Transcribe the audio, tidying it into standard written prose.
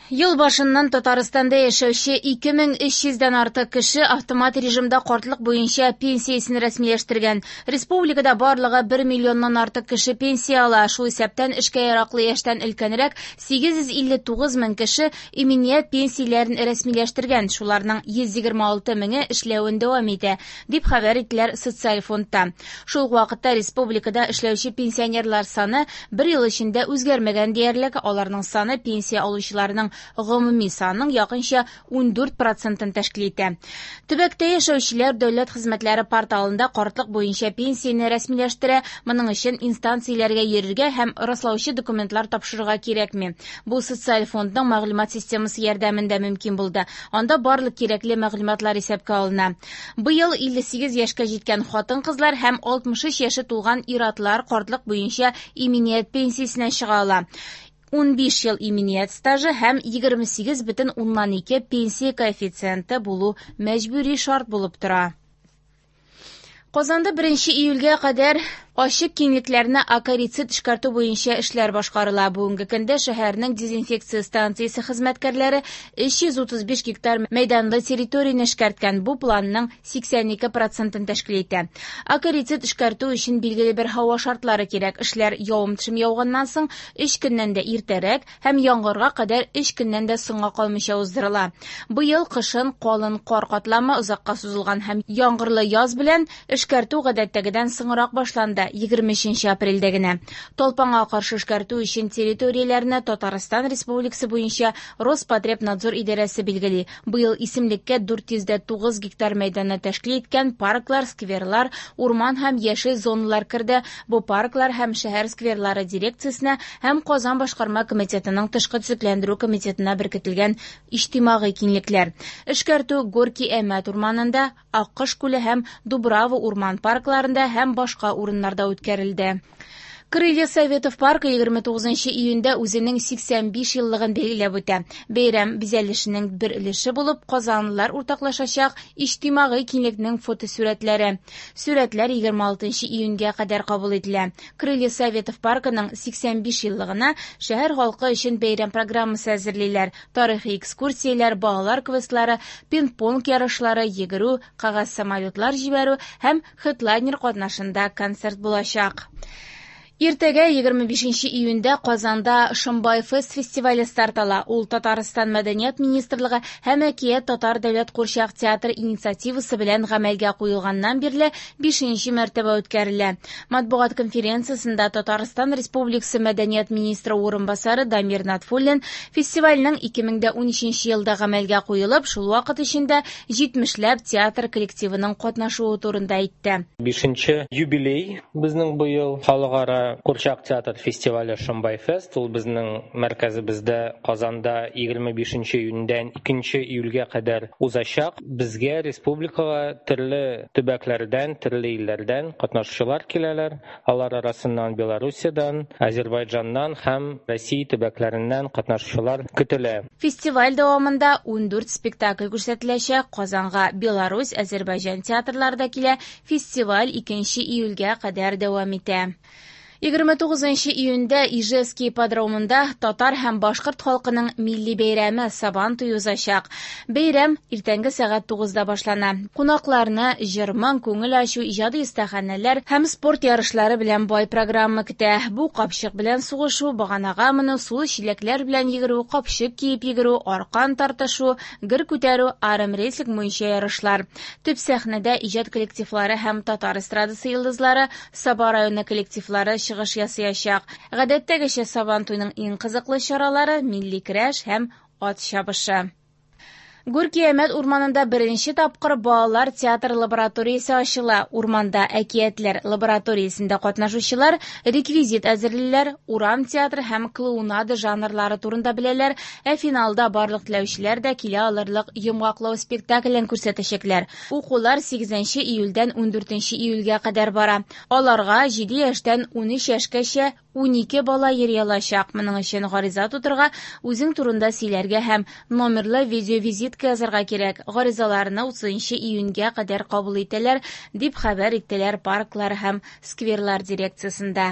Ел башыннан Татарстанда яшәүче 2300 дән артык кеше автомат режимда картлык буенча пенсиясен рәсмиләштергән. Республикада барлыгы 1 миллионнан артык кеше пенсия ала, шул исәптән эшкә яраклы яшьтән өлкәнрәк 859 мең кеше иминият пенсияләрен рәсмиләштергән, шуларның 126 меңе эшләвен дәвам итә, дип хәбәр иттеләр социаль фондта. Шул ук вакытта республикада эшләүче пенсионерлар саны бер ел эчендә үзгәрмәгән диярлек, аларның саны пенсия алучыларның гомуми санның якынча 14 процентын тәшкил итә. Төбәктә яшәүчеләр дәүләт хезмәтләре порталында картлык буенча пенсияне рәсмиләштерә, моның өчен инстанцияләргә йөрергә һәм раслаучы документлар тапшырырга кирәкми. Бу социаль фондның мәгълүмат системасы ярдәмендә мөмкин булды. Анда барлык кирәкле мәгълүматлар исәпкә алына. Быел 58 яшькә җиткән хатын-кызлар һәм 63 яше тулган ир-атлар картлык буенча иминият пенсиясенә чыга ала. 15 ел иминият стажы һәм 28,2 пенсия коэффициенты булу мәҗбүри шарт булып тора. Казанда 1 июльгә кадәр ачык киңлекләрне акарицид эшкәртү буенча эшләр башкарыла. Бүгенге көндә шәһәрнең дезинфекция станциясе хезмәткәрләре 335 гектар мәйданлы территорияне эшкәрткән. Бу планның 82 процентын тәшкил итә. Акарицид эшкәртү өчен билгеле бер һава шартлары кирәк. Эшләр явым-төшем яуганнан соң 3 көннән дә иртәрәк һәм яңгырга кадәр 3 көннән дә соңга калмыйча уздырыла. Быел кышын калын кар катламы озакка сузылган һәм яңгырлы яз белән эшкәртү гадәттәгедән соңрак башланды, 23 апрельдә генә. Талпанга каршы эшкәртү өчен территорияләрне Татарстан Республикасы буенча Роспотребнадзор идарәсе билгели. Быел исемлеккә 409 гектар мәйданны тәшкил иткән парклар, скверлар, урман һәм яшел зоналар керде. Бу парклар һәм шәһәр скверлары дирекциясенә һәм Казан башкарма комитетының тышкы төзекләндерү комитетына беркетелгән иҗтимагый киңлекләр. Эшкәртү Горки Әмәт урманында, Аккош күле һәм Дубрава урман паркларында һәм башка урыннарда үткәрелде. Крылья Советов паркы 29 июньдә үзенең 85 еллыгын билгеләп үтә. Бәйрәм бизәлешенең бер өлеше булып казанлылар уртаклашачак иҗтимагый киңлекнең фотосурәтләре. Сурәтләр 26 июньгә кадәр кабул ителә. Крылья Советов паркының 85 еллыгына шәһәр халкы өчен бәйрәм программасы әзерлиләр. Тарихи экскурсияләр, балалар квестлары, пинг-понг ярышлары, йөгерү, кәгазь самолетлар җибәрү һәм хедлайнер катнашында концерт булачак. Иртәгә 25 июньдә Казанда Шомбай фест фестивале старт ала. Ул Татарстан мәдәният министрлыгы һәм Әкият татар дәүләт курчак театры инициативасы белән гамәлгә куелганнан бирле 5 мәртәбә үткәрелә. Матбугат конференциясендә Татарстан Республикасы мәдәният министры урынбасары Дамир Натфуллин фестивальнең 2013 елда гамәлгә куелып, шул вакыт эчендә 70ләп театр коллективының катнашуы турында әйтте. 5 юбилей безнең быел халыкара Курчак театр фестивале Шомбай фест, ул безнең мәркәзебездә Казанда 25 июньдән 2 июльгә кадәр узачак. Безгә республикага төрле төбәкләрдән, төрле илләрдән катнашучылар киләләр. Алар арасыннан Белоруссиядән, Азербайджаннан һәм Россия төбәкләреннән катнашучылар көтелә. Фестиваль дәвамында 14 спектакль күрсәтеләчәк. Казанга Беларусь, Азербайджан театрлары да килә. Фестиваль 2 июльгә кадәр дәвам итә. 29 июньдә Ижевский ипподромында татар һәм башкорт халкының милли бәйрәме Сабан туе узачак. Бәйрәм иртәнге сәгать 9-да башлана. Кунакларны җыр-моң, күңел ачу, иҗади остаханәләр һәм спорт ярышлары белән бай программа көтә. Бу капчык белән сугышу, баганага менү, сулы чиләкләр белән йөгерү, капчык киеп йөгерү, аркан тартышу, гер күтәрү, армрестлинг буенча ярышлар. Төп сәхнәдә иҗат коллективлары һәм татар эстрадасы йолдызлары, Саба районы коллективлары чыгыш ясаячак. Гадәттәгечә Сабан туйның иң кызыклы чаралары милли көрәш һәм ат чабышы. Горки Әмәт урманында беренче тапкыр балалар театр лабораториясе ачыла. Урманда әкиятләр лабораториясендә катнашучылар реквизит әзерлиләр, урам театры һәм клоунада жанрлары турында беләләр, ә финалда барлык теләүчеләр дә килә алырлык йомгаклау спектаклен күрсәтәчәкләр. Укулар 8 июльдән 14 июльгә кадәр бара. Аларга 7 яшьтән 13 яшькәчә 12 бала йөри алачак. Моның өчен гариза тутырырга, үзең турында сөйләргә һәм номерлы видеовизитка язарга кирәк. Гаризаларны 30 июньгә кадәр кабул итәләр, дип хәбәр иттеләр парклар һәм скверлар дирекциясендә.